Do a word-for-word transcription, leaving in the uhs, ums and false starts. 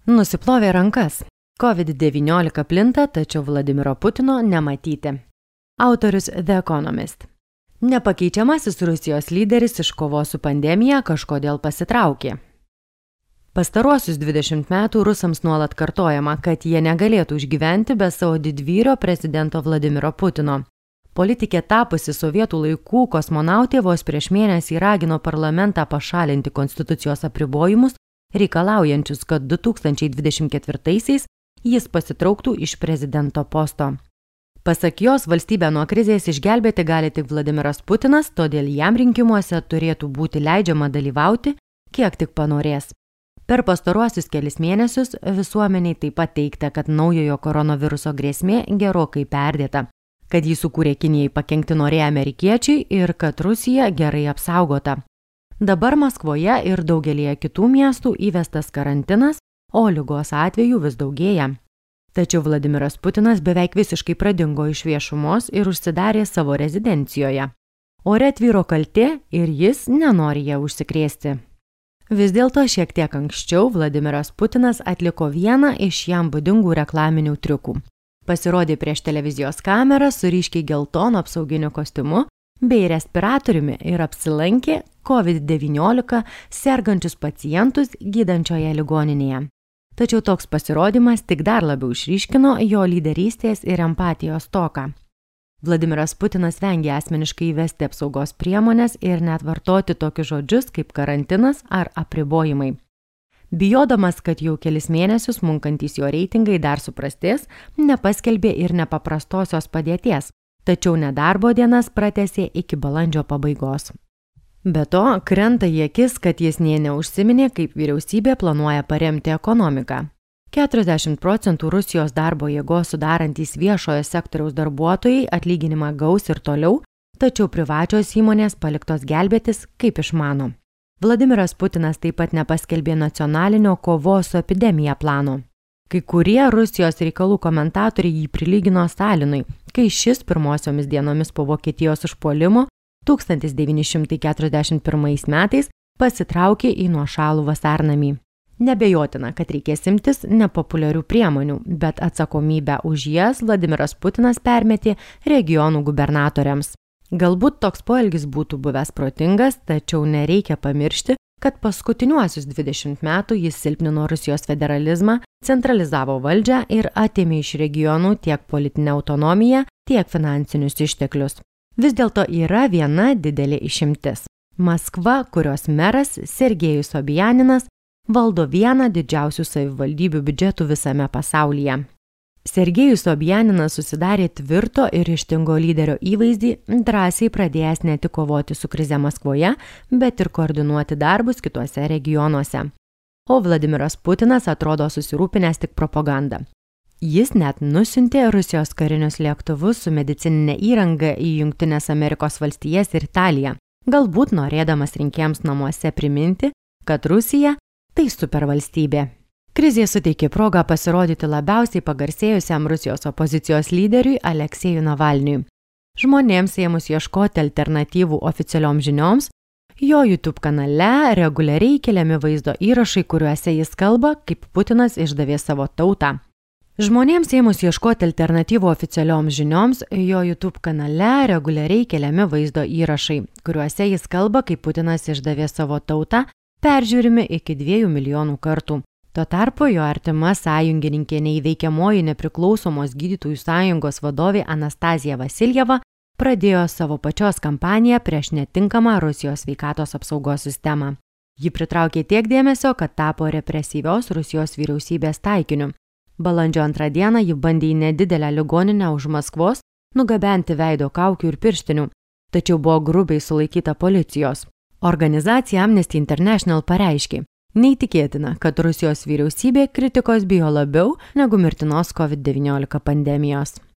Nusiplovė rankas. COVID devyniolika plinta, tačiau Vladimiro Putino nematyti. Autorius The Economist. Nepakeičiamasis Rusijos lyderis iš kovos su pandemija kažkodėl pasitraukė. Pastaruosius dvidešimt metų rusams nuolat kartojama, kad jie negalėtų išgyventi be savo didvyrio prezidento Vladimiro Putino. Politikė tapusi sovietų laikų kosmonautė vos prieš mėnesį ragino parlamentą pašalinti konstitucijos apribojimus, reikalaujančius, kad du tūkstančiai dvidešimt ketvirtaisiais jis pasitrauktų iš prezidento posto. Pasak jos, valstybę nuo krizės išgelbėti gali tik Vladimiras Putinas, todėl jam rinkimuose turėtų būti leidžiama dalyvauti, kiek tik panorės. Per pastaruosius kelis mėnesius visuomeniai taip pat teigta, kad naujojo koronaviruso grėsmė gerokai perdėta, kad jį sukūrė Kinijai pakenkti norėję amerikiečiai ir kad Rusija gerai apsaugota. Dabar Maskvoje ir daugelėje kitų miestų įvestas karantinas, o ligos atvejų vis daugėja. Tačiau Vladimiras Putinas beveik visiškai pradingo iš viešumos ir užsidarė savo rezidencijoje. Ore tvyro kaltė ir jis nenori ją užsikrėsti. Vis dėlto šiek tiek anksčiau Vladimiras Putinas atliko vieną iš jam būdingų reklaminių triukų. Pasirodė prieš televizijos kamerą su ryškiai geltonu apsauginiu kostiumu bei respiratoriumi ir apsilankė COVID devyniolika sergančius pacientus gydančioje ligoninėje. Tačiau toks pasirodymas tik dar labiau išryškino jo lyderystės ir empatijos stoką. Vladimiras Putinas vengė asmeniškai įvesti apsaugos priemonės ir net vartoti tokius žodžius kaip karantinas ar apribojimai. Bijodamas, kad jau kelis mėnesius munkantys jo reitingai dar suprastės, nepaskelbė ir nepaprastosios padėties, tačiau nedarbo dienas pratęsė iki balandžio pabaigos. Be to, krenta į akis, kad jis nė neužsiminė, kaip vyriausybė planuoja paremti ekonomiką. keturiasdešimt procentų Rusijos darbo jėgos sudarantys viešojo sektoriaus darbuotojai atlyginimą gaus ir toliau, tačiau privačios įmonės paliktos gelbėtis, kaip išmano. Vladimiras Putinas taip pat nepaskelbė nacionalinio kovos su epidemija plano. Kai kurie Rusijos reikalų komentatoriai jį prilygino Stalinui, kai šis pirmosiomis dienomis po Vokietijos užpuolimo tūkstantis devyni šimtai keturiasdešimt pirmais metais pasitraukė į nuošalų vasarnamį. Nebejotina, kad reikės imtis nepopuliarių priemonių, bet atsakomybę už jas Vladimiras Putinas permetė regionų gubernatoriams. Galbūt toks poelgis būtų buvęs protingas, tačiau nereikia pamiršti, kad paskutiniuosius dvidešimt metų jis silpnino Rusijos federalizmą, centralizavo valdžią ir atėmė iš regionų tiek politinę autonomiją, tiek finansinius išteklius. Vis dėlto yra viena didelė išimtis. Maskva, kurios meras Sergejus Sobjaninas, valdo vieną didžiausių savivaldybių biudžetų visame pasaulyje. Sergejus Sobjaninas susidarė tvirto ir ryžtingo lyderio įvaizdį, drąsiai pradėjęs ne tik kovoti su krize Maskvoje, bet ir koordinuoti darbus kituose regionuose. O Vladimiras Putinas atrodo susirūpinęs tik propagandą. Jis net nusiuntė Rusijos karinius lėktuvus su medicininė įranga į Jungtines Amerikos valstijas ir Italiją, galbūt norėdamas rinkėjams namuose priminti, kad Rusija tai supervalstybė. Krizė suteikė progą pasirodyti labiausiai pagarsėjusiam Rusijos opozicijos lyderiui Aleksejui Navalniui. Žmonėms ėmus ieškoti alternatyvų oficialioms žinioms, jo YouTube kanale reguliariai keliami vaizdo įrašai, kuriuose jis kalba, kaip Putinas išdavė savo tautą. Žmonėms ėmus ieškoti alternatyvų oficialioms žinioms, jo YouTube kanale reguliariai keliami vaizdo įrašai, kuriuose jis kalba, kaip Putinas išdavė savo tautą, peržiūrimi iki dviejų milijonų kartų. Tuo tarpu jo artima sąjungininkė neįveikiamoji nepriklausomos gydytojų sąjungos vadovė Anastazija Vasiljeva pradėjo savo pačios kampaniją prieš netinkamą Rusijos sveikatos apsaugos sistemą. Ji pritraukė tiek dėmesio, kad tapo represyvios Rusijos vyriausybės taikiniu. Balandžio antrą dieną ji bandė į nedidelę ligoninę už Maskvos nugabenti veido kaukių ir pirštinių, tačiau buvo grubiai sulaikyta policijos. Organizacija Amnesty International pareiškė, neįtikėtina, kad Rusijos vyriausybė kritikos bijo labiau negu mirtinos COVID devyniolika pandemijos.